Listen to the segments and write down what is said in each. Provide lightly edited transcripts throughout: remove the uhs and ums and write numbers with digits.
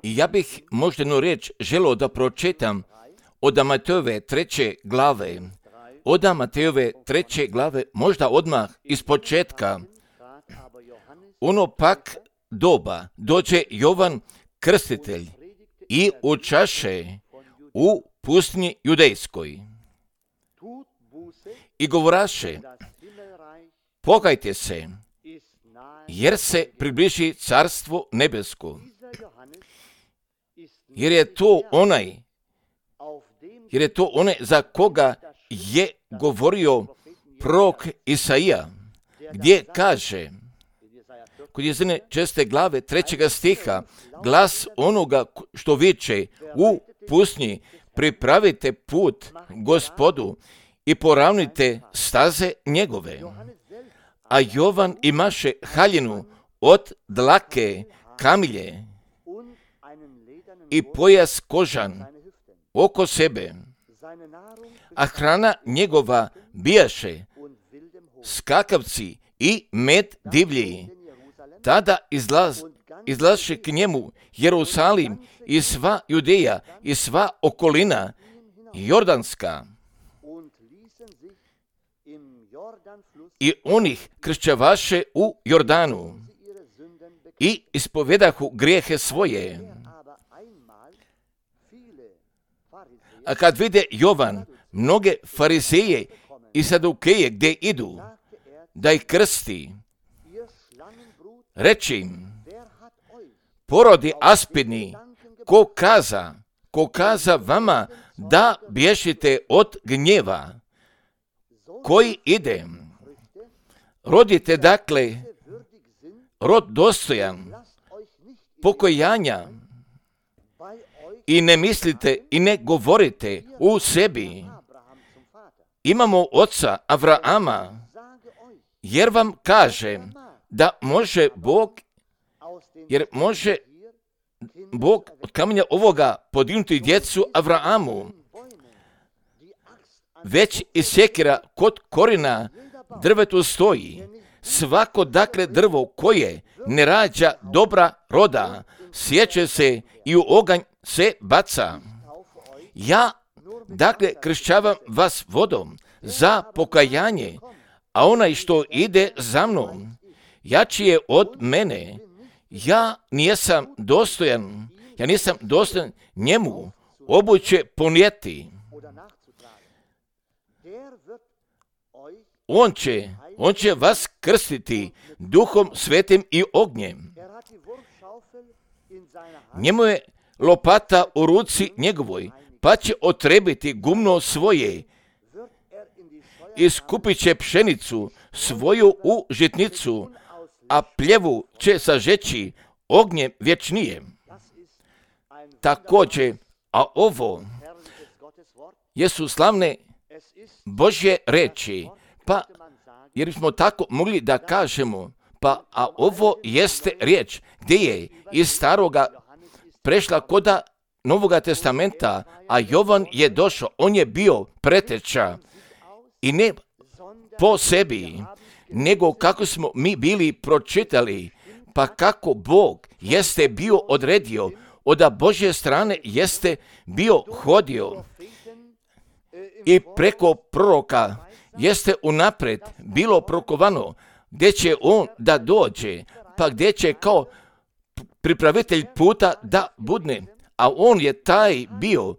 I ja bih možda jednu riječ želio da pročitam od Matejove 3. glave. Od Matejove 3. glave, možda odmah iz početka. Ono pak doba dođe Jovan Krstitelj i učaše u pustinji judejskoj i govoraše: pokajte se, jer se približi carstvo nebesko. Jer je to onaj za koga je govorio prorok Isaija, gdje kaže, kod Jesaja 6. glave 3. stiha, glas onoga što viče u pustinji: pripravite put Gospodu i poravnite staze njegove. A Jovan imaše haljinu od dlake kamilje i pojas kožan oko sebe, a hrana njegova bijaše skakavci i med divlji. Tada izlaše k njemu Jerusalim i sva Judeja i sva okolina jordanska, i onih kršćavaše u Jordanu i ispovedahu grijehe svoje. A kad vide Jovan mnoge farizeje i sadukeje gdje idu da ih krsti, reći im: porodi aspidni, ko kaza vama da bježite od gnjeva koji ide. Rodite dakle rod dostojan pokojanja i ne mislite i ne govorite u sebi: imamo oca Avrahama, jer vam kaže da može Bog od kamenja ovoga podignuti djecu Avrahamu. Već i sjekira kod korina drvetu stoji. Svako dakle drvo koje ne rađa dobra roda, sječe se i u oganj se baca. Ja dakle kršćavam vas vodom za pokajanje, a onaj što ide za mnom jači je od mene. Ja nisam dostojan njemu obuće ponijeti. On će vas krstiti Duhom Svetim i ognjem. Njemu je lopata u ruci njegovoj, pa će otrebiti gumno svoje i skupit će pšenicu svoju u žitnicu, a pljevu će sažeći ognjem vječnijem. Također, a ovo jesu slavne Božje reči, pa jer smo tako mogli da kažemo, a ovo jeste riječ gdje je iz staroga prešla koda Novoga testamenta, a Jovan je došao, on je bio preteča i ne po sebi, nego kako smo mi bili pročitali, pa kako Bog jeste bio odredio, od Božje strane jeste bio hodio i preko proroka jeste unaprijed bilo prokovano gdje će on da dođe, pa gdje će kao pripravitelj puta da budne, a on je taj bio,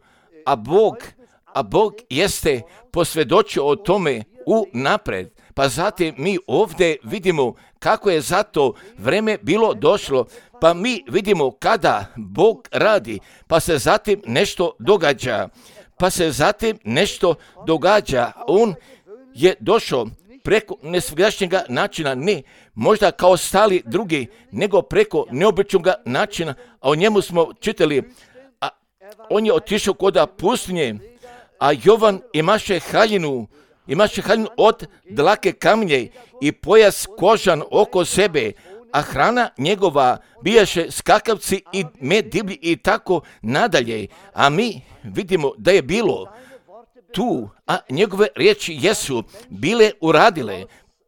a Bog jeste posvjedočio o tome unaprijed. Pa zatim mi ovdje vidimo kako je za to vreme bilo došlo, pa mi vidimo kada Bog radi, pa se zatim nešto događa, On je došao preko nesvjedašnjega načina, ne možda kao stali drugi, nego preko neobičnog načina, a o njemu smo čitali, a on je otišao koda pustinje, a Jovan imaše haljinu od dlake kamlje i pojas kožan oko sebe, a hrana njegova bijaše skakavci i med divlji i tako nadalje. A mi vidimo da je bilo tu, a njegove riječi jesu bile uradile,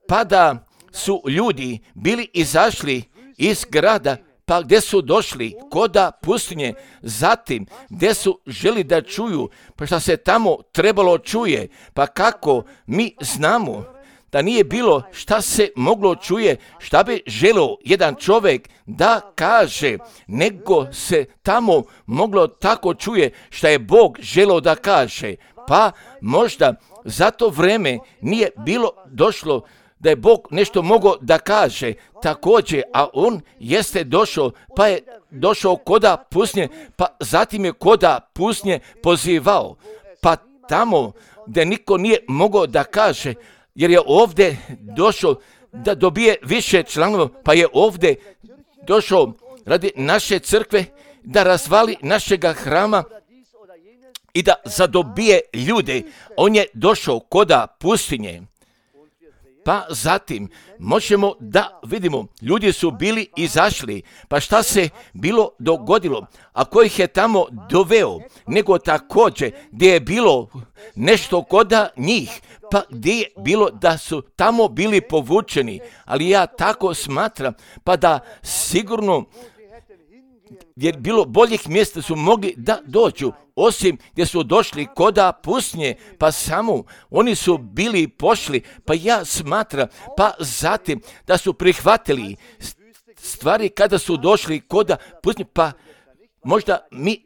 pa da su ljudi bili izašli iz grada pa gdje su došli koda pustinje, zatim gdje su želi da čuju, pa šta se tamo trebalo čuje, pa kako mi znamo da nije bilo šta se moglo čuje, šta bi želio jedan čovjek da kaže, nego se tamo moglo tako čuje šta je Bog želio da kaže. Pa možda za to vreme nije bilo došlo da je Bog nešto mogao da kaže također, a on jeste došao, pa je došao koda pustinje, pa zatim je koda pustinje pozivao, pa tamo gdje niko nije mogao da kaže, jer je ovdje došao da dobije više članova, pa je ovdje došao radi naše crkve da razvali našega hrama i da zadobije ljude. On je došao koda pustinje. Pa zatim možemo da vidimo, ljudi su bili izašli, pa šta se bilo dogodilo, a ko ih je tamo doveo, nego također gdje je bilo nešto koda njih, pa gdje je bilo da su tamo bili povučeni, ali ja tako smatram, pa da sigurno jer bilo boljih mjesta su mogli da dođu, osim gdje su došli koda pustinje, pa samo oni su bili pošli, pa ja smatram, pa zatim da su prihvatili stvari kada su došli koda pustinje, pa možda mi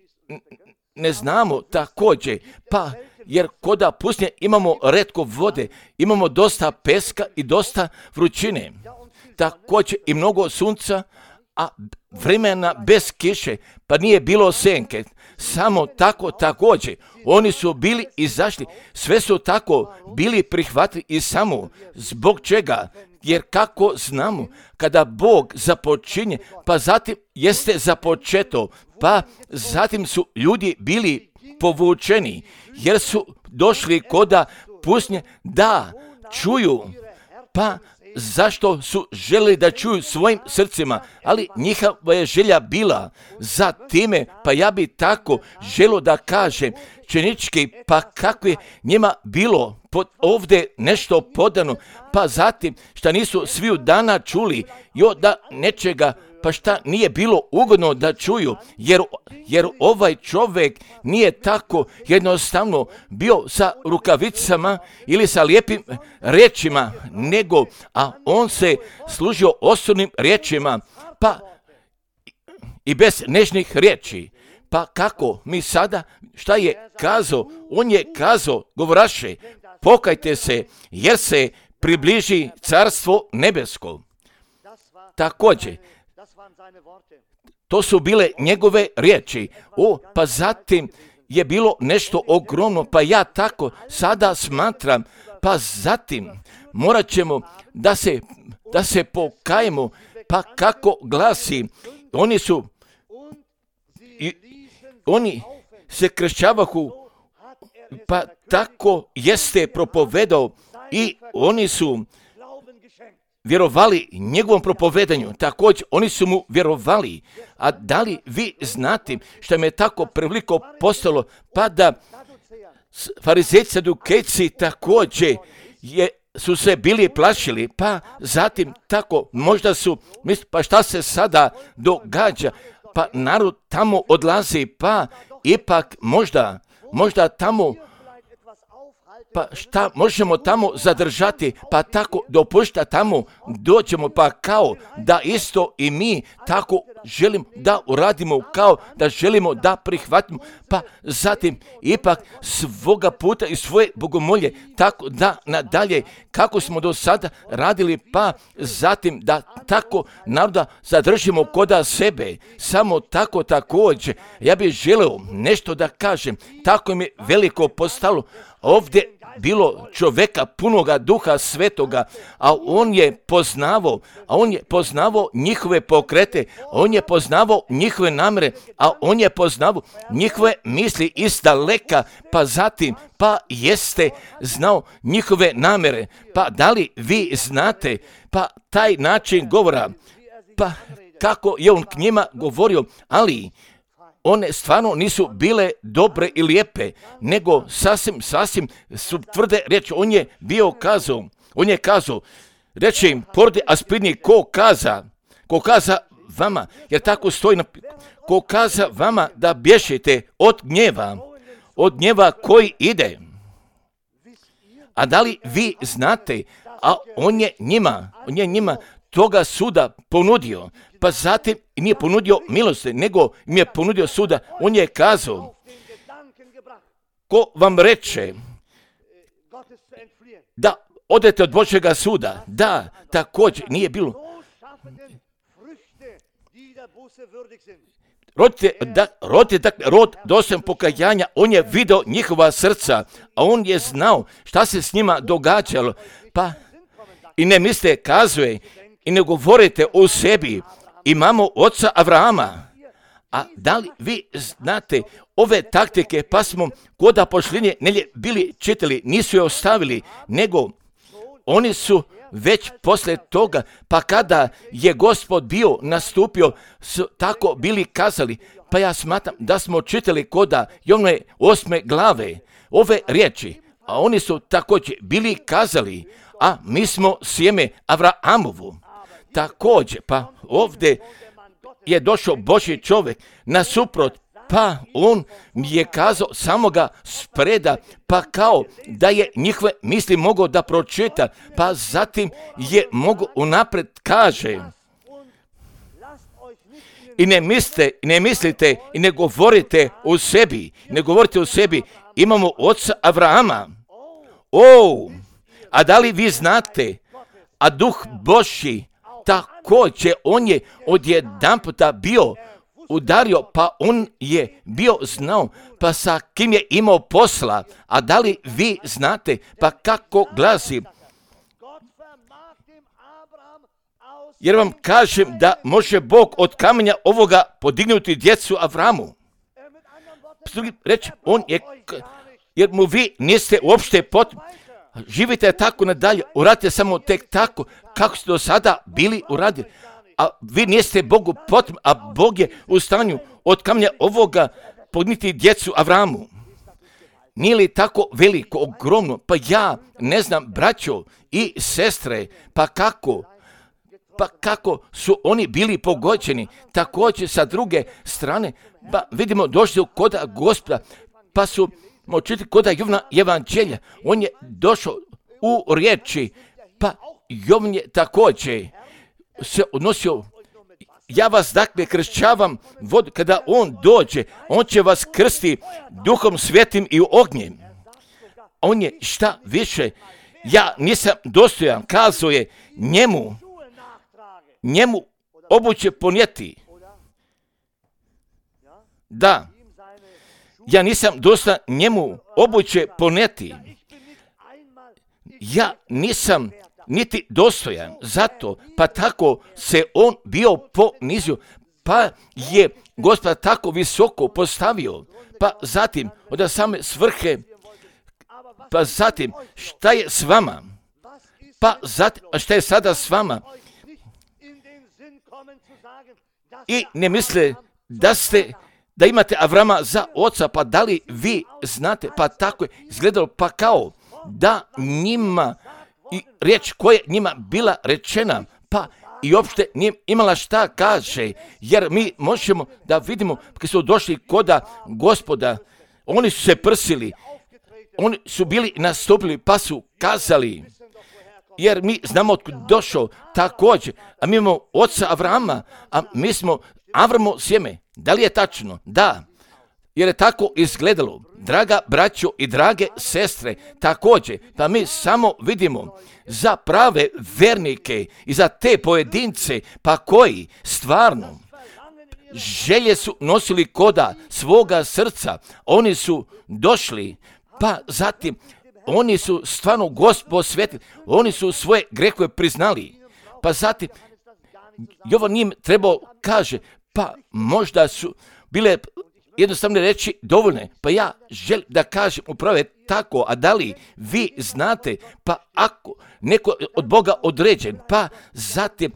ne znamo također, pa jer koda pustinje imamo retko vode, imamo dosta peska i dosta vrućine, također i mnogo sunca, a vremena bez kiše, pa nije bilo senke, samo tako također, oni su bili izašli, sve su tako bili prihvatili i samo zbog čega, jer kako znamo, kada Bog započinje, pa zatim jeste započeto, pa zatim su ljudi bili povučeni, jer su došli koda pustinje da čuju, pa zašto su želi da čuju svojim srcima, ali njihova je želja bila za time, pa ja bi tako želio da kažem činički, pa kako je njima bilo ovdje nešto podano, pa zatim šta nisu sviju dana čuli i da nečega, pa šta nije bilo ugodno da čuju, jer ovaj čovjek nije tako jednostavno bio sa rukavicama ili sa lijepim riječima, nego, a on se služio osobnim riječima, pa i bez nežnih riječi. Pa kako mi sada, šta je kazao? On je kazao, govoraše, pokajte se, jer se približi carstvo nebesko. Također, to su bile njegove riječi. Pa zatim je bilo nešto ogromno, pa ja tako sada smatram, pa zatim morat ćemo da se pokajemo, pa kako glasi, oni se kršćavahu, pa tako jeste propovedao i oni su vjerovali njegovom propovedanju, također oni su mu vjerovali. A da li vi znate što me tako preveliko postalo, pa da farizejci, sadukejci također su se bili plašili, pa zatim tako možda su, pa šta se sada događa, pa narod tamo odlazi, pa ipak možda tamo, pa šta možemo tamo zadržati, pa tako dopušta tamo dođemo, pa kao da isto i mi tako želimo da uradimo, kao da želimo da prihvatimo, pa zatim ipak svoga puta i svoje bogomolje, tako da nadalje kako smo do sada radili, pa zatim da tako naroda zadržimo koda sebe, samo tako također. Ja bih želeo nešto da kažem, tako mi je veliko postalo ovdje bilo čovjeka punoga Duha Svetoga, a on je poznavao njihove pokrete, on je poznavao njihove namere, a on je poznavao njihove misli iz daleka, pa zatim, pa jeste znao njihove namere. Pa da li vi znate, pa taj način govora, pa kako je on k njima govorio, ali one stvarno nisu bile dobre i lijepe, nego sasvim su tvrde riječi. On je kazao, reče im, porodi aspidni ko kaza vama, jer tako stoji, ko kaza vama da bježite od gnjeva koji ide. A da li vi znate, a on je njima toga suda ponudio, pa zatim nije ponudio milosti, nego im je ponudio suda. On je kazao, ko vam reče da odete od Božjega suda, da, također nije bilo. Rod dostojan pokajanja, on je video njihova srca, a on je znao šta se s njima događalo. Pa i ne mislite, kazuje, i ne govorite o sebi, imamo oca Avrahama. A da li vi znate ove taktike, pa smo kod pošljenje bili čitali, nisu je ostavili, nego oni su već poslije toga, pa kada je Gospod bio nastupio, su tako bili kazali. Pa ja smatram da smo čitali kod Jovne 8. glave ove riječi, a oni su također bili kazali, a mi smo sjeme Avrahamovu. Također, pa ovdje je došao Božji čovjek nasuprot, pa on mi je kazao samo ga spreda, pa kao da je njihove misli mogao da pročita, pa zatim je mogao unaprijed kaže. I ne mislite i ne govorite o sebi, imamo oca Avrahama. A da li vi znate, a Duh Božji također, on je odjedanputa bio udario, pa on je bio znao, pa sa kim je imao posla. A da li vi znate, pa kako glasi? Jer vam kažem da može Bog od kamenja ovoga podignuti djecu Avramu. Reći, on je, jer mu vi niste uopšte živite tako nadalje, uradite samo tek tako kako ste do sada bili uradili, a vi niste Bogu potrebni, a Bog je u stanju od kamenja ovoga podignuti djecu Avramu. Nije li tako veliko, ogromno? Pa ja ne znam, braćo i sestre, pa kako su oni bili pogođeni. Također sa druge strane, pa vidimo došli kod Gospoda, pa su čitati kod Jovna evanđelja, on je došao u riječi, pa Jovan je također se odnosio, ja vas dakle kršćavam vodu, kada on dođe, on će vas krsti Duhom Svetim i ognjem. On je šta više, ja nisam dostojan, kazuje njemu obuće ponijeti. Da, ja nisam dostojan njemu obuće ponijeti. Ja nisam niti dostojan, zato pa tako se on bio ponizio, pa je Gospod tako visoko postavio, pa zatim od same svrhe, pa zatim šta je s vama, pa zatim šta je sada s vama. I ne misle da imate Avrama za oca, pa da li vi znate, pa tako je izgledalo, pa kao da njima i riječ koja je njima bila rečena, pa i uopšte nije imala šta kaže, jer mi možemo da vidimo kad su došli koda Gospoda, oni su se prsili, oni su bili nastupili, pa su kazali, jer mi znamo otkud došao također, a mi imamo oca Avrama, a mi smo Avramo sjeme. Da li je tačno? Da. Jer je tako izgledalo, draga braćo i drage sestre, također, pa mi samo vidimo za prave vernike i za te pojedince, pa koji stvarno želje su nosili koda svoga srca, oni su došli, pa zatim oni su stvarno Gospod svetili, oni su svoje grehove priznali, pa zatim Jovan njim trebao kaže, pa možda su bile jednostavne reći dovoljne, pa ja želim da kažem upravo je tako, a da li vi znate, pa ako neko od Boga određen, pa zatim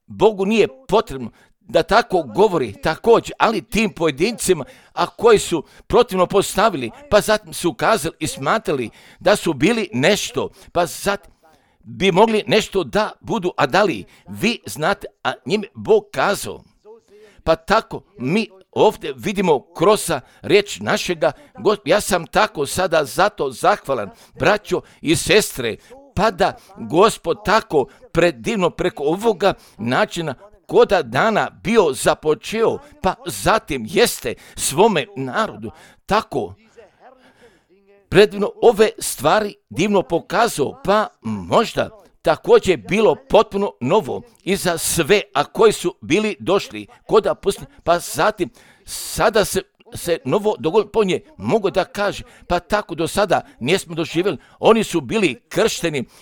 Bogu nije potrebno da tako govori također, ali tim pojedincima, a koji su protivno postavili, pa zatim su ukazali i smatrali da su bili nešto, pa zatim bi mogli nešto da budu, a da li vi znate, a njime Bog kazao, Pa tako mi ovdje vidimo kroz riječ našega Gospoda. Ja sam tako sada zato zahvalan, braćo i sestre, pa da Gospod tako predivno preko ovoga načina koda dana bio započeo, pa zatim jeste svome narodu tako predivno ove stvari divno pokazao, pa možda također bilo potpuno novo i za sve, a koji su bili došli koda pustinje, pa zatim sada se novo dogodilo po nje, mogu da kaže, pa tako do sada nismo doživjeli. Oni su bili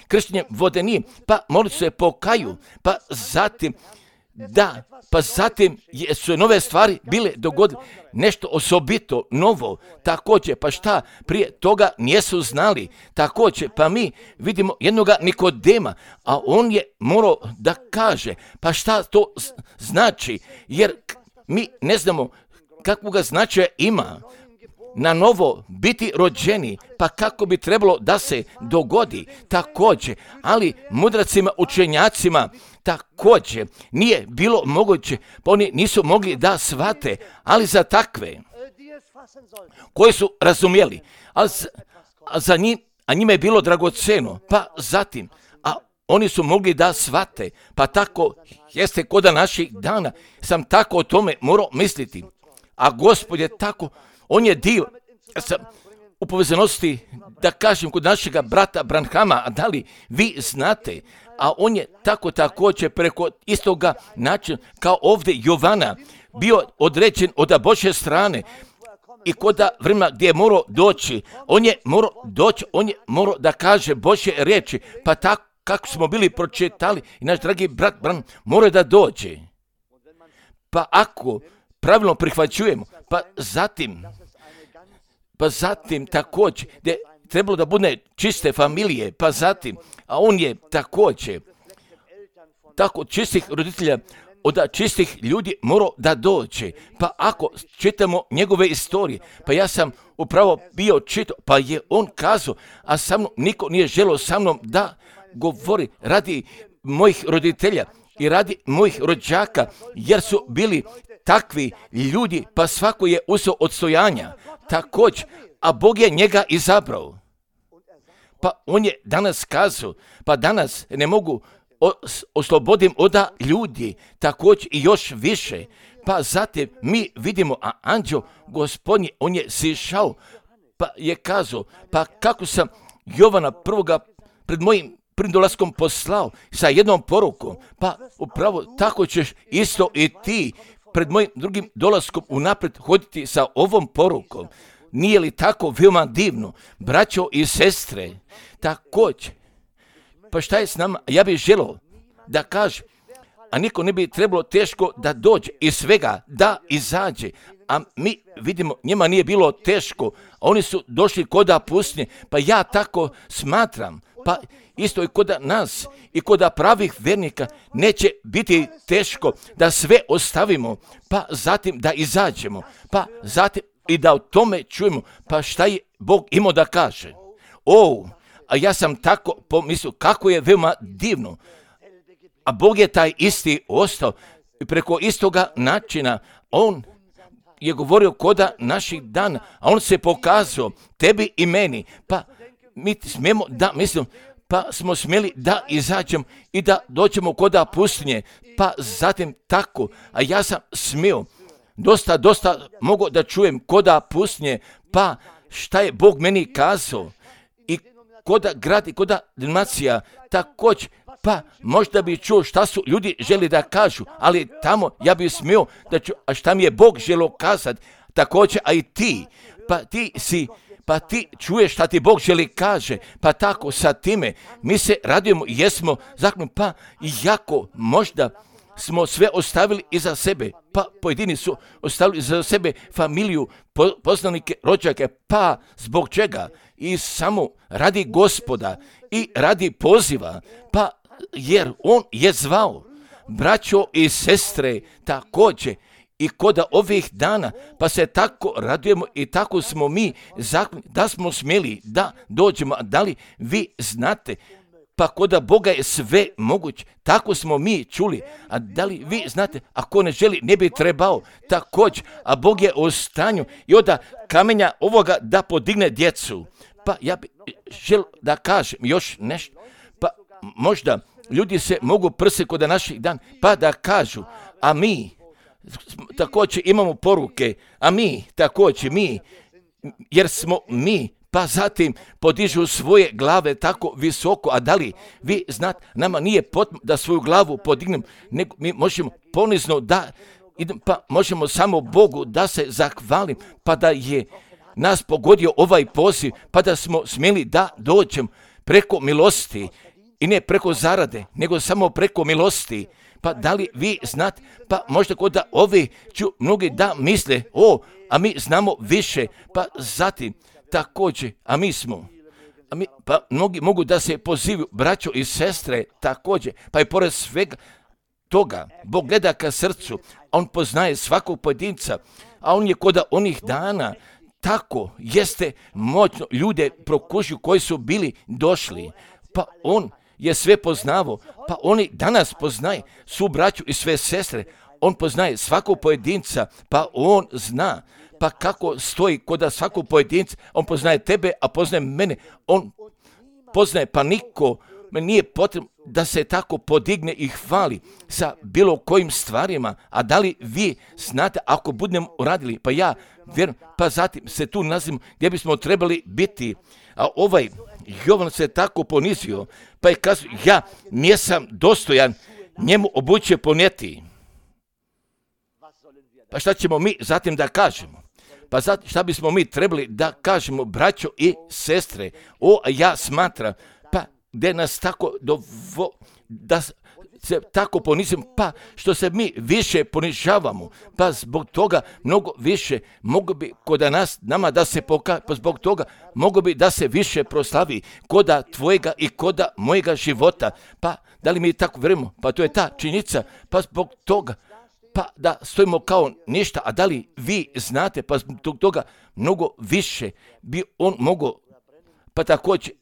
krštenjem vodenim, pa mogli se pokaju, pa zatim su nove stvari bile dogodile, nešto osobito novo, također, pa šta, prije toga nisu znali, također, pa mi vidimo jednoga Nikodema, a on je morao da kaže, pa šta to znači, jer mi ne znamo kakvoga značaja ima na novo biti rođeni, pa kako bi trebalo da se dogodi također, ali mudracima, učenjacima također nije bilo moguće, pa oni nisu mogli da shvate, ali za takve koji su razumjeli, a njima je bilo dragoceno, pa zatim, a oni su mogli da shvate, pa tako jeste koda naših dana, sam tako o tome morao misliti, a Gospod je tako, on je dio u povezanosti, da kažem, kod našega brata Branhama, a da li vi znate, a on je tako također preko istoga načina kao ovdje Jovana bio određen od Božje strane i koda vremena gdje je morao doći, on je morao da kaže Božje riječi, pa tako kako smo bili pročitali i naš dragi brat Branham mora da dođe. Pa ako pravilno prihvaćujemo, pa zatim također, gdje trebalo da bude čiste familije, pa zatim, a on je također, tako čistih roditelja, od čistih ljudi morao da dođe. Pa ako čitamo njegove istorije, pa ja sam upravo bio čitao, pa je on kazao, a sa mnom niko nije želio sa mnom da govori radi mojih roditelja i radi mojih rođaka, jer su bili takvi ljudi, pa svako je uzeo odstojanja, također, a Bog je njega izabrao. Pa on je danas kazao, pa danas ne mogu oslobodim od ljudi, također i još više. Pa zatim mi vidimo, a anđeo Gospodnji, on je sišao, pa je kazao, pa kako sam Jovana prvoga pred mojim dolaskom poslao sa jednom porukom, pa upravo tako ćeš isto i ti pred mojim drugim dolaskom unaprijed hoditi sa ovom porukom. Nije li tako veoma divno, braćo i sestre? Također, pa šta je s nama? Ja bih želio da kažem, a niko ne bi trebalo teško da dođe iz svega, da izađe. A mi vidimo, njima nije bilo teško, a oni su došli koda pustinje, pa ja tako smatram, pa isto i koda nas i koda pravih vernika neće biti teško da sve ostavimo, pa zatim da izađemo, pa zatim i da o tome čujemo, pa šta je Bog imao da kaže. A ja sam tako pomislio kako je veoma divno, a Bog je taj isti ostao i preko istoga načina on je govorio koda naših dana, a on se pokazao tebi i meni, pa mi smijemo da mislim, pa smo smjeli da izađemo i da dođemo koda pustinje, pa zatim tako, a ja sam smio, dosta mogu da čujem koda pustinje, pa šta je Bog meni kazao i koda grad i koda denominacija, također, pa možda bi čuo šta su ljudi želi da kažu, ali tamo ja bi smio da čuo, a šta mi je Bog želio kazati, također, a i ti, pa ti čuješ šta ti Bog želi kaže, pa tako sa time mi se radujemo, jesmo zaključeni, pa jako možda smo sve ostavili iza sebe, pa pojedini su ostavili iza sebe familiju, poznanike, rođake, pa zbog čega? I samo radi Gospoda i radi poziva, pa jer on je zvao, braćo i sestre, također, i koda ovih dana, pa se tako radujemo i tako smo mi zaključeni da smo smjeli da dođemo. Da li vi znate Pa koda Boga je sve moguće. Tako smo mi čuli. A da li vi znate, ako ne želi, ne bi trebao također. A Bog je u stanju i od kamenja ovoga da podigne djecu. Pa ja bih želio da kažem još nešto. Pa možda ljudi se mogu prsi kod naših dan, pa da kažu, a mi također imamo poruke, a mi također, jer smo mi, pa zatim podižu svoje glave tako visoko. A da li vi znate, nama nije potrebno da svoju glavu podignem, nego mi možemo ponizno da idem, pa možemo samo Bogu da se zahvalim, pa da je nas pogodio ovaj poziv, pa da smo smjeli da dođem preko milosti i ne preko zarade, nego samo preko milosti. Pa da li vi znate, pa možda kod da ovi ću mnogi da misle, a mi znamo više, pa zatim također, pa mnogi mogu da se pozivaju braćo i sestre također, pa i pored svega toga, Bog gleda ka srcu, on poznaje svakog pojedinca, a on je kod onih dana tako jeste moćno ljude prokušio koji su bili došli, pa on je sve poznavo, pa oni danas poznaje su braću i sve sestre, on poznaje svakog pojedinca, pa on zna, pa kako stoji kod svakog pojedinca, on poznaje tebe, a poznaje mene, on poznaje, pa niko me nije potrebno da se tako podigne i hvali sa bilo kojim stvarima. A da li vi znate, ako budemo uradili, pa ja vjerujem, pa zatim se tu nalazimo gdje bismo trebali biti. A ovaj Jovan se tako ponizio, pa je kazao, ja nisam dostojan njemu obuće ponijeti. Pa šta ćemo mi zatim da kažemo? Pa šta bismo mi trebali da kažemo, braćo i sestre? Ja smatram, pa gdje nas tako da se tako ponizimo, pa što se mi više ponižavamo, pa zbog toga mnogo više mogu bi kod nama da se pa zbog toga mogu bi da se više proslavi koda tvojega i koda mojega života. Pa da li mi tako vjerujemo? Pa to je ta činjenica, pa zbog toga pa da stojimo kao ništa. A da li vi znate, pa zbog toga mnogo više bi on mogao, pa također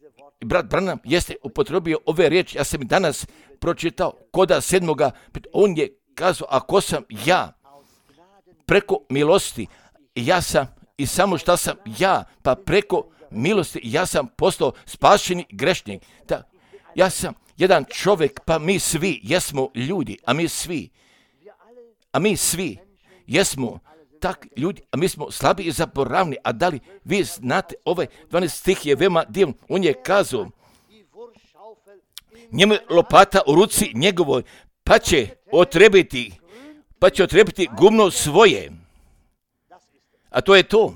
brat Branham jeste upotrebio ove riječi, ja sam danas pročitao koda 7. On je kazao, ako sam ja preko milosti, ja sam i samo šta sam ja, pa preko milosti ja sam postao spašeni grešnik. Ja sam jedan čovjek, pa mi svi jesmo ljudi, a mi svi jesmo tak ljudi, a mi smo slabi i zaboravni. A da li vi znate, ovaj 12 stih je veoma divan, on je kazao, njemu je lopata u ruci njegovoj, pa će otrebiti gumno svoje. A to je to.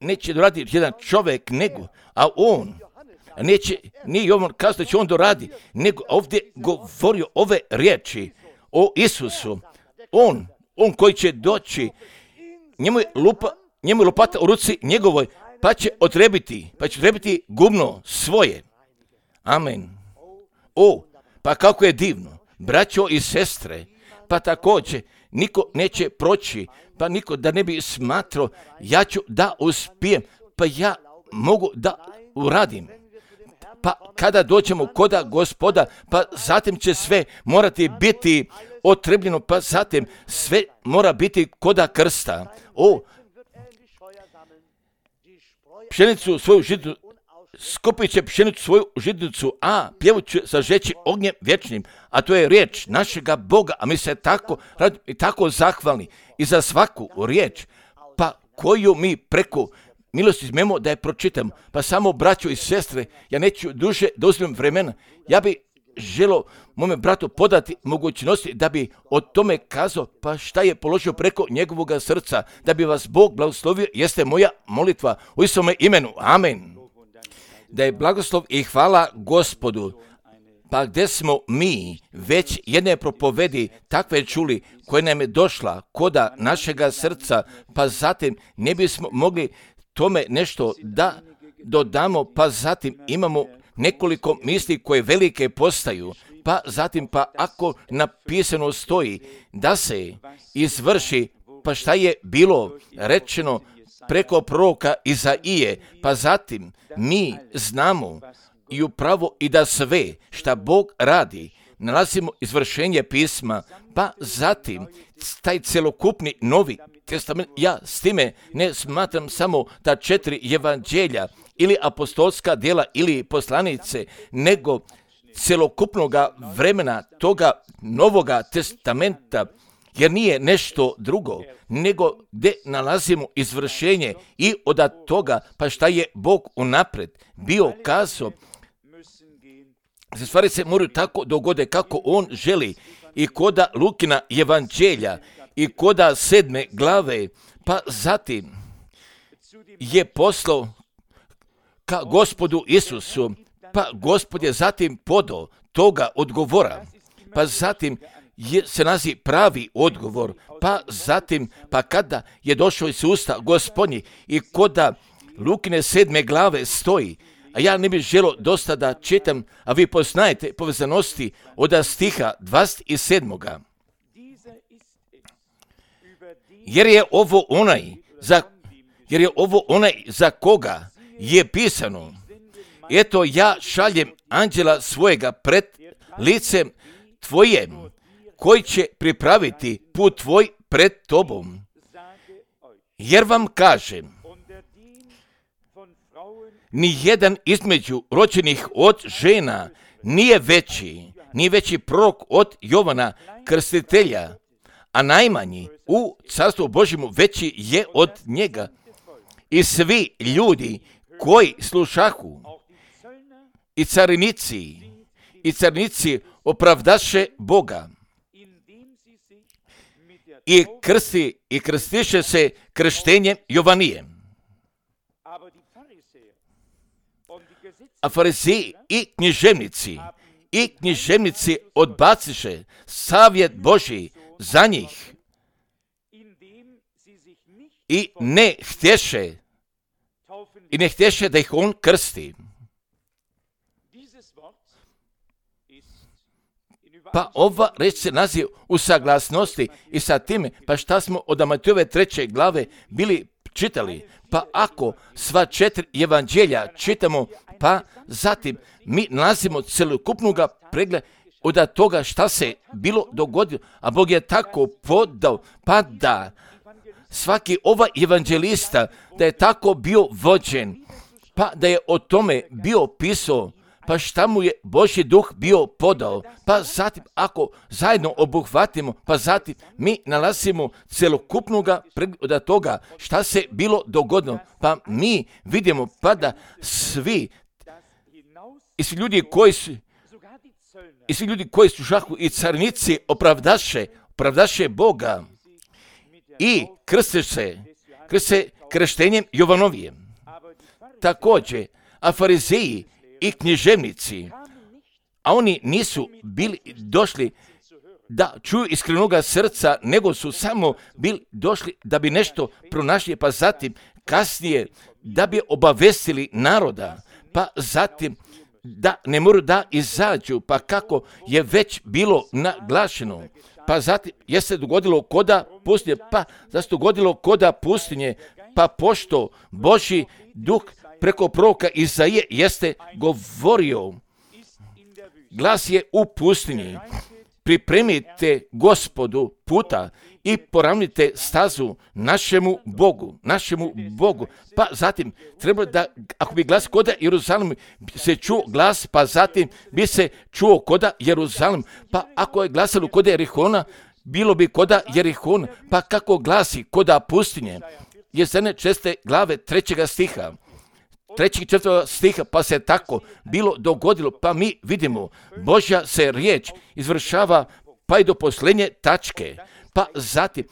Neće doraditi jedan čovjek, nego, a on, nije Jovan kazao da će on doradi, nego ovdje govorio ove riječi o Isusu. On koji će doći, njemu je lopata u ruci njegovoj, pa će otrebiti gumno svoje. Amen. Pa kako je divno, braćo i sestre, pa također niko neće proći, pa niko da ne bi smatrao, ja ću da uspijem, pa ja mogu da uradim. Pa kada dođemo koda Gospoda, pa zatim će sve morati biti otrebljeno, pa zatim sve mora biti koda krsta. Pšenicu svoju žitnicu, skupit će pšenicu svoju žitnicu, a pjevu će sažeći ognjem vječnim, a to je riječ našega Boga, a mi se tako zahvalni i za svaku riječ, pa koju mi preko milosti smemo da je pročitamo. Pa samo braćo i sestre, ja neću duže da uzmem vremena, ja bi želio mome bratu podati mogućnosti da bi o tome kazao, pa šta je položio preko njegovog srca, da bi vas Bog blagoslovio, jeste moja molitva u Isome imenu. Amen. Da je blagoslov i hvala Gospodu. Pa gdje smo mi već jedne propovedi takve čuli koja nam je došla koda našega srca, pa zatim ne bismo mogli tome nešto da dodamo, pa zatim imamo nekoliko misli koje velike postaju, pa zatim pa ako napisano stoji da se izvrši, pa šta je bilo rečeno preko proroka Izaije, pa zatim mi znamo i upravo i da sve šta Bog radi, nalazimo izvršenje pisma, pa zatim taj celokupni Novi Testament, ja s time ne smatram samo ta 4 evanđelja ili apostolska djela ili poslanice, nego celokupnoga vremena toga Novoga Testamenta, jer nije nešto drugo, nego gdje nalazimo izvršenje i od toga, pa šta je Bog unaprijed bio kazao, stvari se moraju tako dogode kako On želi, i koda Lukina evanđelja i koda 7. glave, pa zatim je poslao ka Gospodu Isusu, pa Gospod je zatim podao toga odgovora, pa zatim se nalazi pravi odgovor, pa zatim, pa kada je došao iz usta Gospodnji i koda Lukine 7. glave stoji, a ja ne bih želio dosta da čitam, a vi poznajete povezanosti od stiha 27. Jer je ovo onaj za koga je pisano, eto ja šaljem anđela svojega pred licem tvojem, koji će pripraviti put tvoj pred tobom. Jer vam kažem, ni jedan između rođenih od žena nije veći prorok od Jovana Krstitelja, a najmanji u Carstvu Božjemu veći je od njega. I svi ljudi koji slušahu, i carinici opravdaše Boga, i krstiše se krštenjem Jovanijem. A farizeji i književnici odbaciše savjet Božji za njih i ne htješe da ih on krsti. Pa ova reč se nalazi u saglasnosti i sa time, pa šta smo od Matejove 3. glave bili čitali, pa ako sva 4 evanđelja čitamo, pa zatim mi nalazimo celokupnoga pregleda od toga šta se bilo dogodilo, a Bog je tako podao, pa da svaki ova evanđelista da je tako bio vođen, pa da je o tome bio pisao, pa šta mu je Božji duh bio podao, pa zatim ako zajedno obuhvatimo, pa zatim mi nalazimo celokupnoga pregleda toga šta se bilo dogodilo, pa mi vidimo pa da svi ljudi koji su šahu i carinici opravdaše Boga i krste krštenjem Jovanovijem. Također, a farizeji i književnici, a oni nisu bili došli da čuju iskrenoga srca, nego su samo bili došli da bi nešto pronašli, pa zatim kasnije da bi obavestili naroda, pa zatim da ne moraju da izađu, pa kako je već bilo naglašeno, pa zatim je se dogodilo koda pustinje, pa zašto dogodilo koda pustinje, pa pošto Božji duh preko proroka Izaije jeste govorio, glas je u pustinji, pripremite Gospodu puta i poravnite stazu našemu Bogu. Pa zatim treba da, ako bi glas koda Jeruzalem se čuo glas, pa zatim bi se čuo koda Jeruzalem, pa ako je glasalo koda Jerihona, bilo bi koda Jerihona, pa kako glasi koda pustinje, Jesaja 6. glave 3. stiha. 3. i 4. stiha, pa se tako bilo dogodilo, pa mi vidimo, Božja se riječ izvršava pa i do posljednje tačke, pa zatim,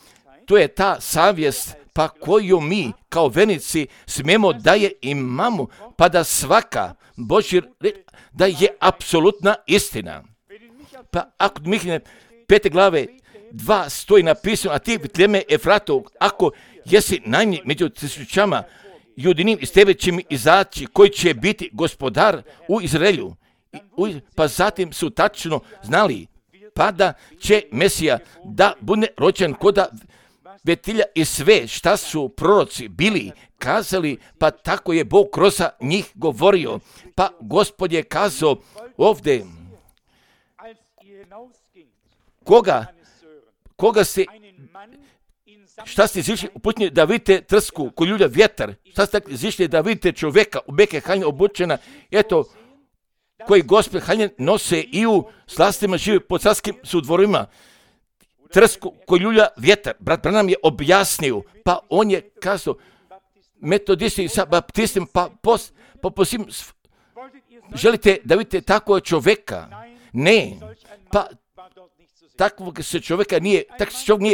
to je ta savjest, pa koju mi kao vernici smijemo da je imamo, pa da svaka Božja riječ, da je apsolutna istina. Pa ako Mihnje 5. glave 2 stoji napisano, a ti Vitleme Efratov, ako jesi najmanji među tisućama, Judinim iz tebe će mi izaći koji će biti gospodar u Izraelju. Pa zatim su tačno znali pa da će Mesija da bude rođen koda Betilja i sve šta su proroci bili kazali, pa tako je Bog kroz njih govorio. Pa Gospod je kazao ovdje, šta ste izišli uputnje da vidite trsku ko ljulja vjetar? Šta ste izišli da vidite čovjeka u beke haljine obučena, eto, koji Gospod haljine nose i u slastima žive po carskim sudvorima. Trsku ko ljulja vjetar. Brat Branham je objasnio, pa on je kazao, metodisti sa baptistima, pa posim, želite da vidite takvog čovjeka? Ne, pa takvog se čovjeka nije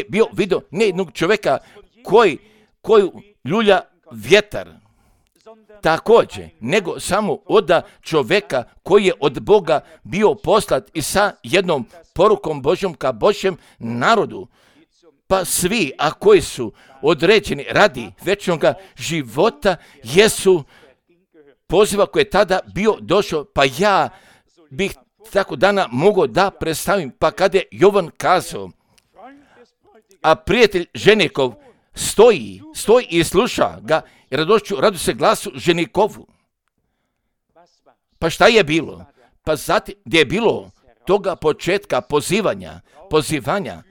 bio vidio, ne jednog čovjeka koji ljulja vjetar. Također, nego samo od čovjeka koji je od Boga bio poslat i sa jednom porukom Božjom ka Božjem narodu. Pa svi, a koji su određeni radi večnog života, jesu poziva koji je tada bio došao, pa ja bih tako dana mogao da predstavim, pa kada je Jovan kazao, a prijatelj ženikov stoji i sluša ga i radu se glasu ženikovu. Pa šta je bilo? Pa zatim gdje je bilo toga početka pozivanja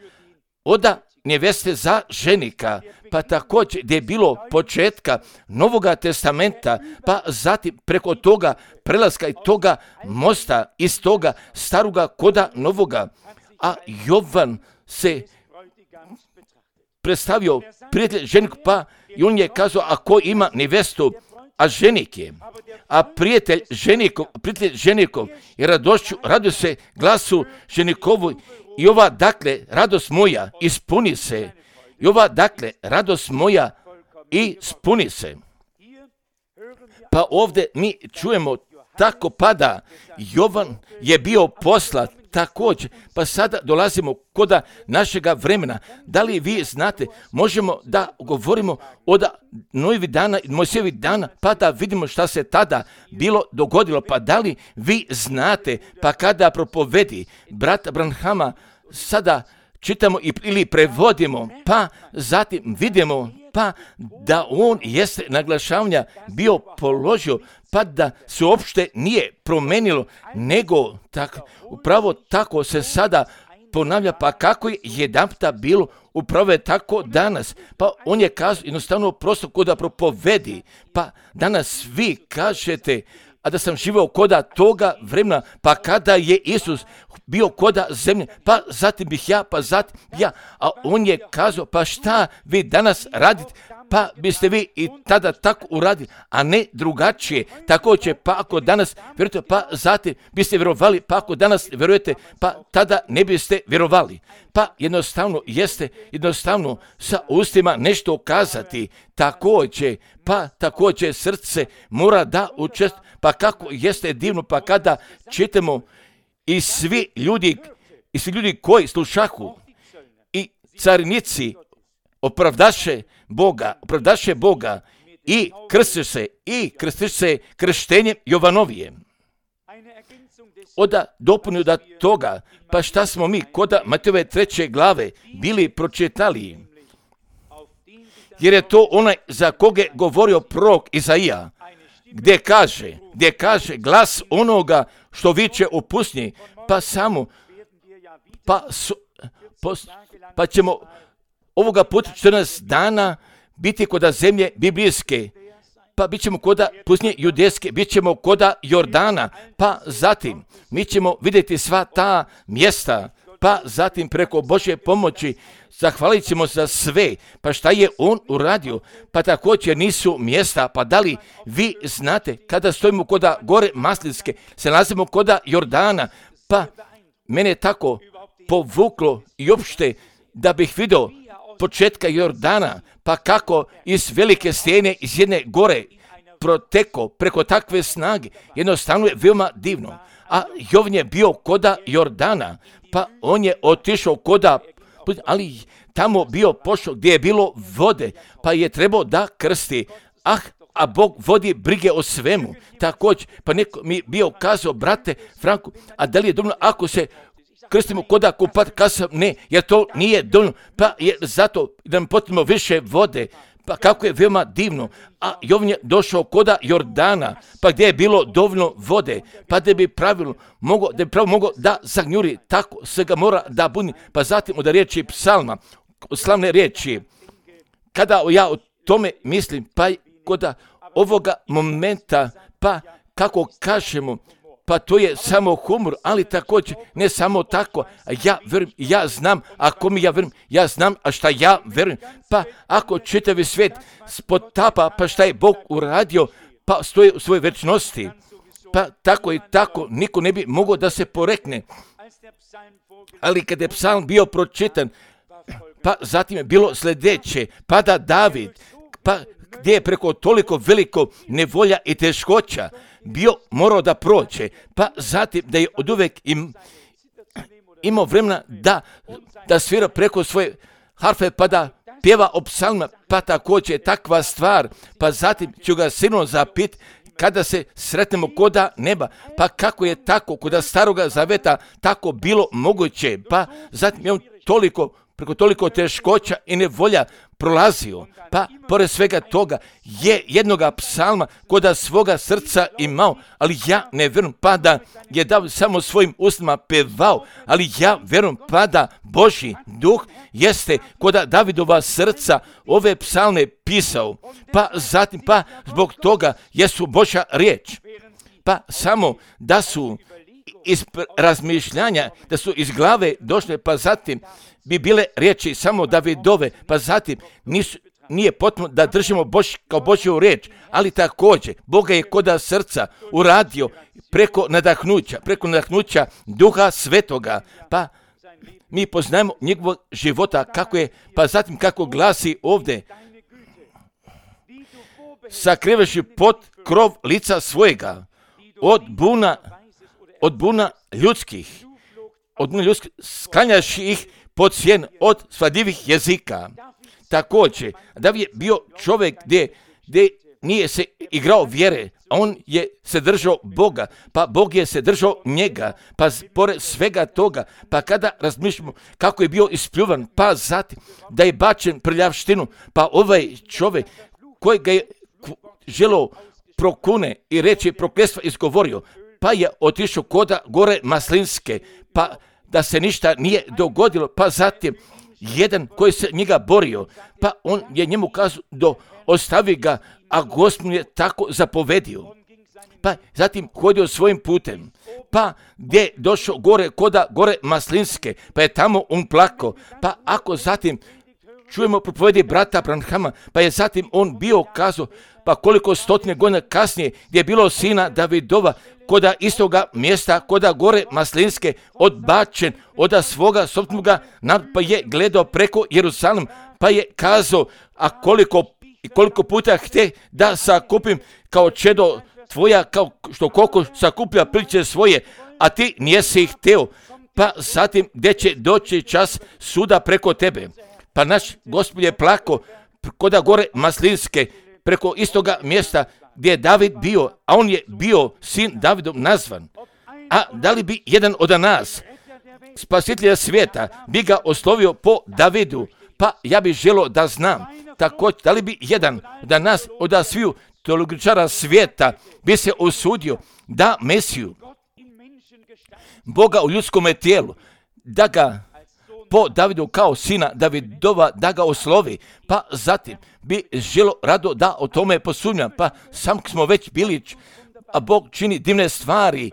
od neveste za ženika, pa također gdje je bilo početka Novoga testamenta, pa zatim preko toga prelaska i toga mosta iz toga staroga koda novoga, a Jovan se predstavio prijatelj ženiku, pa i on je kazao, ako ima nevestu, a ženik je, a prijatelj ženikov i radu se glasu ženikovu, i ova dakle radost moja ispuni se, i ova dakle radost moja ispuni se. Pa ovdje mi čujemo tako pada, Jovan je bio poslat također, pa sada dolazimo kod našega vremena. Da li vi znate, možemo da govorimo od Nojevi dana i Mojsijevih dana, pa da vidimo šta se tada bilo dogodilo. Pa da li vi znate, pa kada propovedi brata Branhama, sada čitamo ili prevodimo, pa zatim vidimo, pa da on jeste naglašavanja bio položio, pa da se uopšte nije promenilo, nego upravo tako se sada ponavlja, pa kako je jedanputa bilo, upravo je tako danas. Pa on je kazao jednostavno prosto koda propovedi, pa danas vi kažete, a da sam živio koda toga vremena, pa kada je Isus bio koda zemlje, pa zatim bih ja, pa zatim ja, a on je kazao, pa šta vi danas radite, pa biste vi i tada tako uradili, a ne drugačije. Tako će, pa ako danas vjerujete, pa zatim biste vjerovali, pa ako danas vjerujete, pa tada ne biste vjerovali. Pa jednostavno sa ustima nešto kazati, također srce mora da učestvuje, pa kako jeste divno, pa kada čitamo i svi ljudi koji slušahu i carinici opravdaše Boga i krstiše se krštenjem Jovanovije. Oda dopunju da toga, pa šta smo mi koda Matejove 3. glave bili pročitali, jer je to onaj za koga je govorio prorok Izaija, gdje kaže glas onoga što viče u pustinji, pa ćemo ovoga puta 14 dana biti koda zemlje biblijske, pa bit ćemo koda pustinje judejske, bit ćemo koda Jordana, pa zatim mi ćemo vidjeti sva ta mjesta, pa zatim preko Božje pomoći zahvalit ćemo za sve. Pa šta je on uradio? Pa također nisu mjesta, pa da li vi znate kada stojimo koda gore Maslinske, se nalazimo koda Jordana, pa mene tako povuklo i uopšte da bih vidio početka Jordana, pa kako iz velike stijene iz jedne gore proteko preko takve snage, jednostavno je veoma divno. A Jovan je bio koda Jordana, pa on je otišao koda, ali tamo bio pošao gdje je bilo vode, pa je trebao da krsti. A Bog vodi brige o svemu. Također, pa neko mi bio kazao, brate Franku, a da li je dovoljno ako se krstimo koda kupat, kazao ne, jer to nije dovoljno, pa je zato da nam potrebno više vode. Pa kako je veoma divno. A Jovan je došao koda Jordana, pa gdje je bilo dovoljno vode, pa da bi pravilno mogao da zagnjuri, tako se ga mora da buni. Pa zatim od riječi psalma, od slavne riječi, kada ja o tome mislim, pa kod ovoga momenta, pa kako kažemo, pa to je samo humor, ali također ne samo tako. Ja verujem, ja znam, ako mi ja verujem, ja znam, a šta ja verujem. Pa ako čitavi svijet spotapa, pa šta je Bog uradio, pa stoji u svojoj večnosti. Pa tako i tako, niko ne bi mogao da se porekne. Ali kada je psalm bio pročitan, pa zatim je bilo sljedeće, pa da David, pa gdje je preko toliko veliko nevolja i teškoća bio morao da prođe, pa zatim da je oduvek imao vremena da svira preko svoje harfe, pa da pjeva o psalmima, pa također je takva stvar, pa zatim ću ga sigurno zapit kada se sretnemo koda neba, pa kako je tako koda staroga zaveta tako bilo moguće, pa zatim je on preko toliko teškoća i nevolja prolazio, pa pored svega toga je jednoga psalma koda svoga srca imao, ali ja ne vjerujem pa da je David samo svojim ustima pevao, ali ja vjerujem pa da Božji duh jeste koda Davidova srca ove psalme pisao, pa zatim pa zbog toga jesu Božja riječ, pa samo da su iz razmišljanja, da su iz glave došle, pa zatim bi bile riječi samo Davidove, pa zatim nije potrebno da držimo kao Božju riječ, ali također Boga je koda srca uradio preko nadahnuća Duha Svetoga, pa mi poznajemo njegovog života kako je, pa zatim kako glasi ovdje, sakriveši pod krov lica svojega od buna ljudskih, sklanjaš ih pod sjen od svadljivih jezika. Također, David je bio čovjek gdje nije se igrao vjere, a on je se držao Boga, pa Bog je se držao njega, pa pored svega toga, pa kada razmišljamo kako je bio ispljuvan, pa zatim da je bačen prljavštinu, pa ovaj čovjek koji ga je želeo prokune i reći prokletstva izgovorio, pa je otišao koda gore Maslinske, pa da se ništa nije dogodilo, pa zatim jedan koji se njega borio, pa on je njemu kazao ostavi ga, a Gospod je tako zapovedio. Pa zatim hodio svojim putem, pa gdje je došao gore Maslinske, pa je tamo on plakao, pa ako zatim čujemo propovedi brata Branhama, pa je zatim on bio kazao, pa koliko stotine godina kasnije gdje je bilo sina Davidova, koda istoga mjesta, koda gore Maslinske, odbačen od svoga soptnoga, pa je gledao preko Jerusalim, pa je kazao, a koliko puta htje da sakupim kao čedo tvoja, kao što koliko sakuplja priče svoje, a ti nijesi hteo, pa zatim gdje će doći čas suda preko tebe. Pa naš Gospod je plako koda gore Maslinske, preko istoga mjesta gdje je David bio, a on je bio sin Davidom nazvan. A da li bi jedan od nas, spasitelja svijeta, bi ga oslovio po Davidu? Pa ja bih želio da znam, također, da li bi jedan od nas, od sviju teologičara svijeta, bi se usudio da Mesiju, Boga u ljudskom tijelu, da ga po Davidu kao sina Davidova, da ga oslovi, pa zatim bi želo rado da o tome posumnjam, pa sam smo već bili, a Bog čini divne stvari,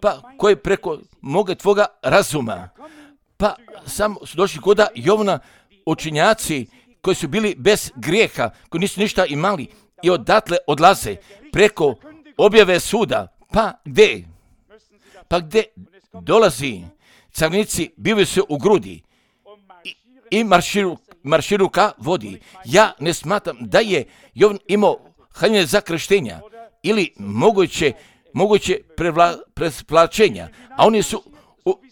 pa koje preko moga tvoga razuma, pa sam su došli koda Jovana učinjaci koji su bili bez grijeha, koji nisu ništa imali i odatle odlaze preko objave suda, pa gdje dolazi carnici, bivaju se u grudi i marširu ka vodi. Ja ne smatram da je Jovan imao haljine za krštenja ili moguće presplačenja, a oni su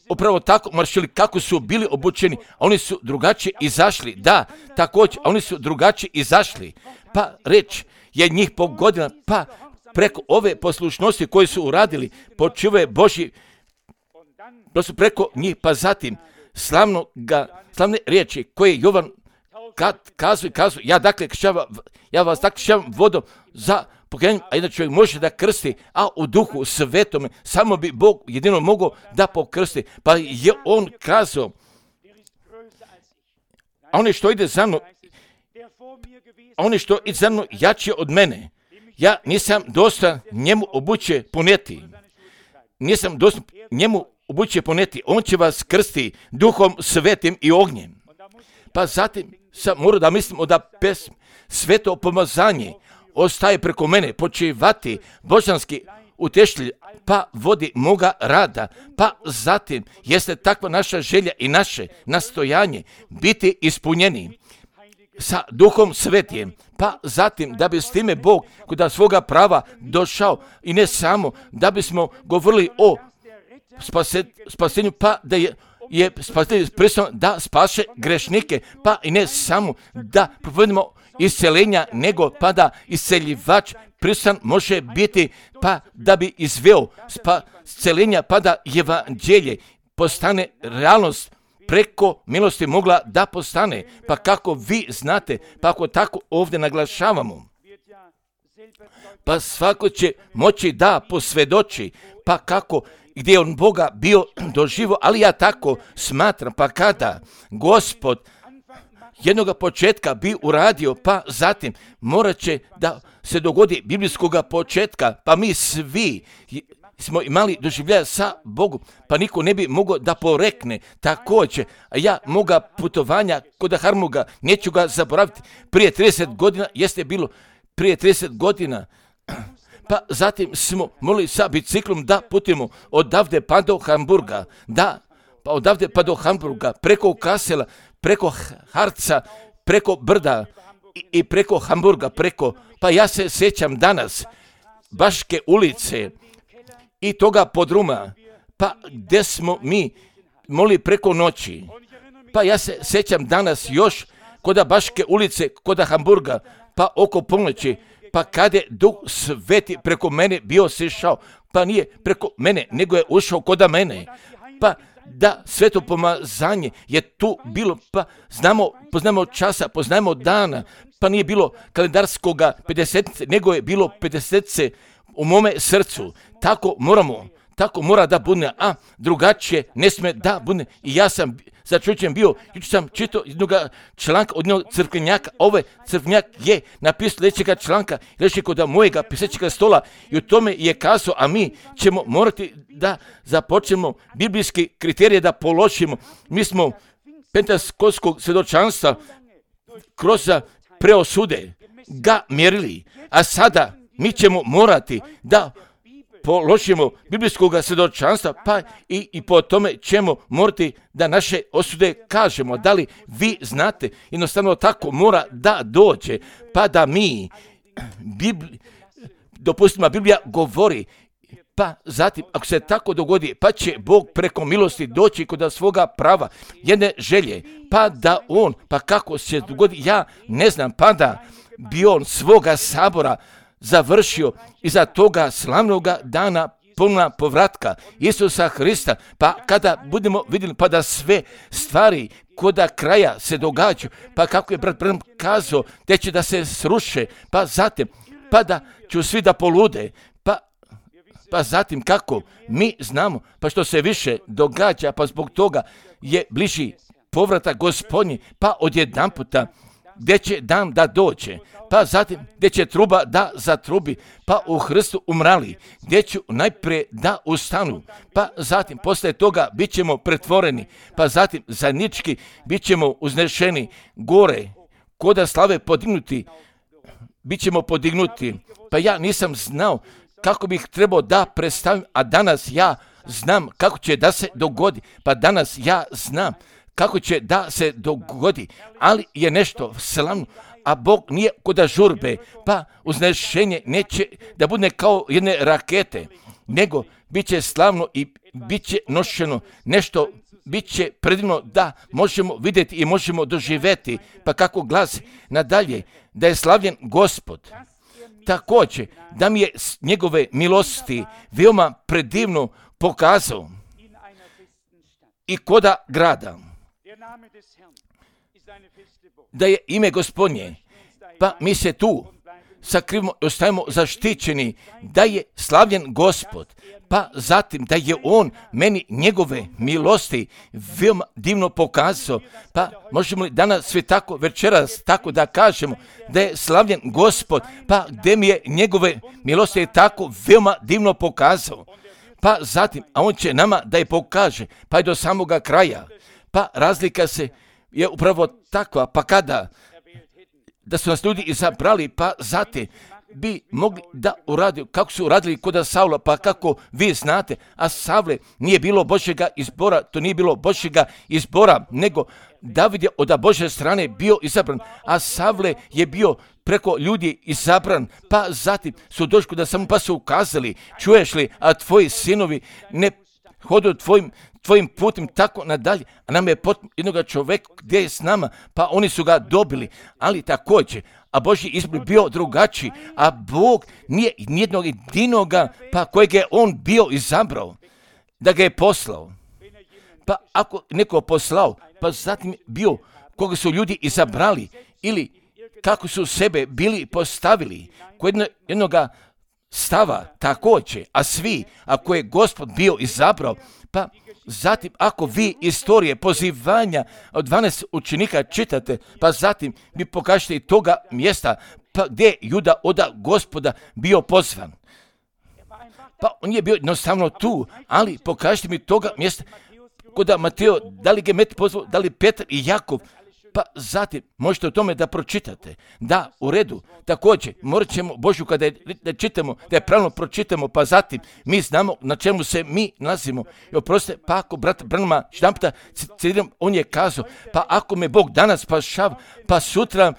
upravo tako maršili kako su bili obučeni, a oni su drugačije izašli, da, također, oni su drugačije izašli, pa reč je njih pogodila, pa preko ove poslušnosti koje su uradili, počivaju Božji, to su preko njih, pa zatim slavne riječi koje Jovan kad kazu, ja vas tako kršćavam vodom za pokajanje, a jedan čovjek može da krsti, a u duhu svetome samo bi Bog jedino mogao da pokrsti. Pa je on kazao, a onaj što ide za mnom, jači od mene. Ja nisam dosta njemu obuće poneti. On će vas krsti duhom svetim i ognjem. Pa zatim sam morao da mislimo da sveto pomazanje ostaje preko mene, počivati božanski utešitelj, pa vodi moga rada. Pa zatim jeste takva naša želja i naše nastojanje biti ispunjeni sa duhom svetim. Pa zatim da bi s time Bog kod svoga prava došao i ne samo da bismo govorili o spasenju, pa da je spasitelj prisutan da spaše grešnike, pa i ne samo da propovedimo isceljenja, nego pa da isceljivač prisutan može biti, pa da bi izveo isceljenja, pa da evanđelje postane realnost preko milosti mogla da postane. Pa kako vi znate, pa ako tako ovdje naglašavamo, pa svako će moći da posvjedoči, pa kako gdje on Boga bio doživo, ali ja tako smatram, pa kada Gospod jednog početka bi uradio, pa zatim morat će da se dogodi biblijskog početka, pa mi svi smo imali doživljaja sa Bogom, pa niko ne bi mogao da porekne također. A ja moga putovanja kod Harmuga, neću ga zaboraviti, prije 30 godina, jeste bilo prije 30 godina, pa zatim smo mogli sa biciklom da putimo odavde pa do Hamburga, preko Kasela, preko Harca, preko Brda i preko Hamburga, pa ja se sjećam danas Baške ulice i toga podruma, pa gdje smo mi mogli preko noći, pa ja se sjećam danas još kod Baške ulice, kod Hamburga, pa oko ponoći, pa kad je Duh Sveti preko mene bio sišao, pa nije preko mene, nego je ušao kod mene, pa da sveto pomazanje je tu bilo, pa poznamo časa, poznajemo dana, pa nije bilo kalendarskoga 50, nego je bilo 50 u mome srcu. Tako mora da bude, a drugačije ne sme da bude. I ja sam začuđen bio, jučer sam čitao jednog članka od jednog crkvenjaka, ovaj crkvenjak je napisao sljedećega članka, reći kod mojega pisaćega stola i u tome je kazao, a mi ćemo morati da započnemo biblijski kriterije da položimo. Mi smo pentekostkog svjedočanstva kroz preosude ga mjerili, a sada mi ćemo morati da položimo biblijskog svjedočanstva, pa i po tome ćemo morati da naše osude kažemo. Da li vi znate, jednostavno tako mora da dođe, pa da mi, dopustimo, Biblija govori, pa zatim, ako se tako dogodi, pa će Bog preko milosti doći kod svoga prava, jedne želje, pa da on, pa kako se dogodi, ja ne znam, pa da bi on svoga sabora završio iza toga slavnoga dana puna povratka Isusa Hrista, pa kada budemo vidjeli, pa da sve stvari koda kraja se događaju, pa kako je brat Branham kazao, te će da se sruše, pa zatim, pa da ću svi da polude, pa zatim kako mi znamo, pa što se više događa, pa zbog toga je bliži povratak Gospodnji, pa odjedanputa gdje će dan da dođe, pa zatim gdje će truba da zatrubi, pa u Hristu umrali, gdje ću najprije da ustanu, pa zatim poslije toga bit ćemo pretvoreni, pa zatim zajednički bit ćemo uznešeni gore, koda slave podignuti, bit ćemo podignuti. Pa ja nisam znao kako bih trebao da predstavim, a danas ja znam kako će da se dogodi, pa danas ja znam kako će da se dogodi, ali je nešto slavno, a Bog nije kod žurbe, pa uznešenje neće da bude kao jedne rakete, nego bit će slavno i bit će nošeno nešto, bit će predivno da možemo vidjeti i možemo doživjeti, pa kako glasi nadalje, da je slavljen Gospod. Također, da mi je njegove milosti veoma predivno pokazao i koda grada. da je ime Gospodnje, pa mi se tu sakrivamo i ostajemo zaštićeni, da je slavljen Gospod, pa zatim da je On meni njegove milosti veoma divno pokazao, pa možemo li danas sve tako večeras tako da kažemo da je slavljen Gospod, pa gdje mi je njegove milosti je tako veoma divno pokazao, pa zatim, a On će nama da je pokaže, pa i do samoga kraja, pa razlika se je upravo takva, pa kada da su nas ljudi izabrali, pa zatim bi mogli da uradi, kako su uradili kod Saula, pa kako vi znate, a Savle nije bilo Božjega izbora, to nije bilo Božjega izbora, nego David je od Božje strane bio izabran, a Savle je bio preko ljudi izabran, pa zatim su došli da samo pa su ukazali, čuješ li, a tvoji sinovi ne hodu tvojim putem tako nadalje, a nam je potpuno jednoga čovjeka gdje je s nama, pa oni su ga dobili, ali također, a Božji izbor bio drugačiji, a Bog nije nijednog jedinoga, pa kojeg je On bio izabrao, da ga je poslao. Pa ako neko poslao, pa zatim bio koga su ljudi izabrali, ili kako su sebe bili postavili, kod jednoga stava također, a svi, ako je Gospod bio izabrao, pa zatim ako vi istorije pozivanja od 12 učenika čitate, pa zatim vi pokažete i toga mjesta, pa gdje je Juda od Gospoda bio pozvan. Pa on je bio jednostavno tu, ali pokažite mi toga mjesta, kod Mateo, da li ga je pozvao, da li Petar i Jakov, pa zatim možete o tome da pročitate. Da, u redu, također morat ćemo Božju kada da čitamo, da je pravilno pročitamo, pa zatim mi znamo na čemu se mi nalazimo. I oprostite, pa ako brat Branhama štampa, on je kazao, pa ako me Bog danas spašava, pa sutra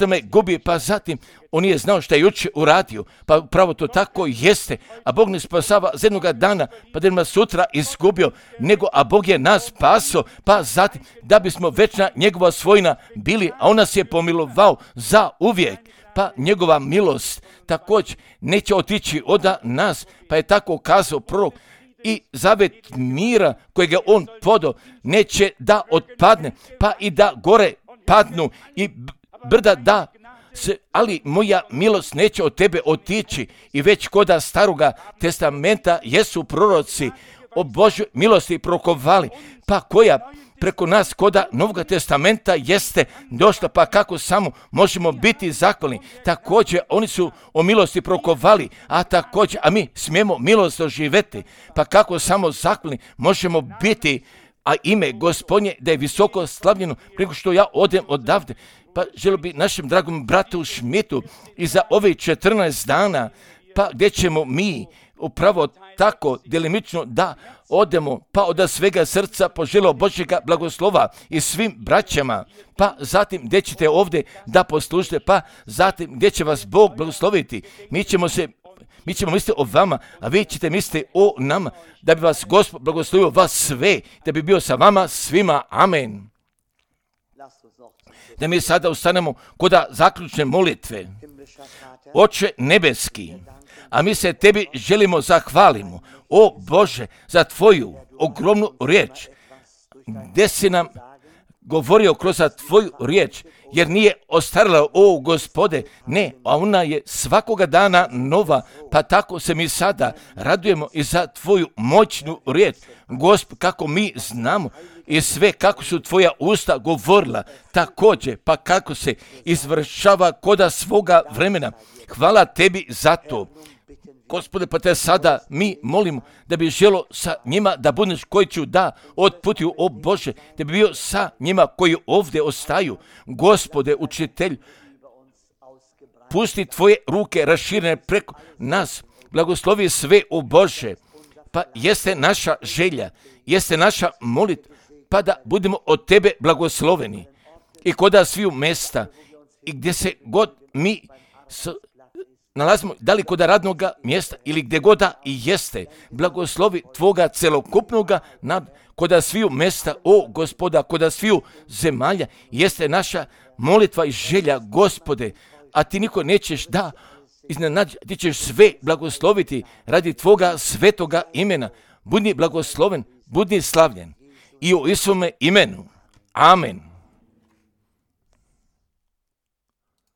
me gubi, pa zatim on je znao što je jučer uradio, pa upravo to tako jeste, a Bog ne spasava za jednoga dana, pa da nas sutra izgubio, nego a Bog je nas spasao, pa zatim da bismo večna njegova svojina bili, a on nas je pomilovao za uvijek, pa njegova milost također neće otići od nas, pa je tako kazao prorok, i zavet mira kojeg je on podao neće da otpadne, pa i da gore padnu i brda da se, ali moja milost neće od tebe otići. I već koda staroga testamenta jesu proroci o Božjoj milosti prokovali, pa koja preko nas koda Novog testamenta jeste došla, pa kako samo možemo biti zahvalni. Također oni su o milosti prokovali, a mi smijemo milost doživjeti, pa kako samo zahvalni možemo biti, a ime Gospodnje da je visoko slavljeno preko što ja odem odavde. Pa želio bi našem dragom bratu Šmitu i za ovih 14 dana, pa gdje ćemo mi upravo tako delimično da odemo, pa od svega srca poželio Božjega blagoslova i svim braćama, pa zatim gdje ćete ovdje da poslušate, pa zatim gdje će vas Bog blagosloviti. Mi ćemo misliti o vama, a vi ćete misliti o nama, da bi vas Gospod blagoslovio vas sve, da bi bio sa vama svima. Amen. Da mi sada ustanemo kod zaključne molitve. Oče nebeski, a mi se tebi želimo zahvalimo, o Bože, za tvoju ogromnu riječ, gdje si nam govorio kroz tvoju riječ, jer nije ostarila, o Gospode, ne, a ona je svakoga dana nova, pa tako se mi sada radujemo i za tvoju moćnu riječ, Gospod, kako mi znamo i sve kako su tvoja usta govorila, također, pa kako se izvršava koda svoga vremena. Hvala tebi za to. Gospode, pa te sada mi molimo da bi želo sa njima da budeš koji ću da otputuju, o Bože, da bi bio sa njima koji ovdje ostaju. Gospode, učitelj, pusti tvoje ruke raširene preko nas, blagoslovi sve, o Bože, pa jeste naša želja, jeste naša molitva, pa da budemo od tebe blagosloveni. I koda sviju mesta i gdje se god mi nalazimo, da li kod radnog mjesta ili gdje god i jeste, blagoslovi tvoga celokupnoga koda sviju mesta, o Gospoda, koda sviju zemalja, jeste naša molitva i želja, Gospode, a ti niko nećeš da iznenađi, ti ćeš sve blagosloviti radi tvoga svetoga imena. Budi blagosloven, budi slavljen i u Isuvome imenu. Amen.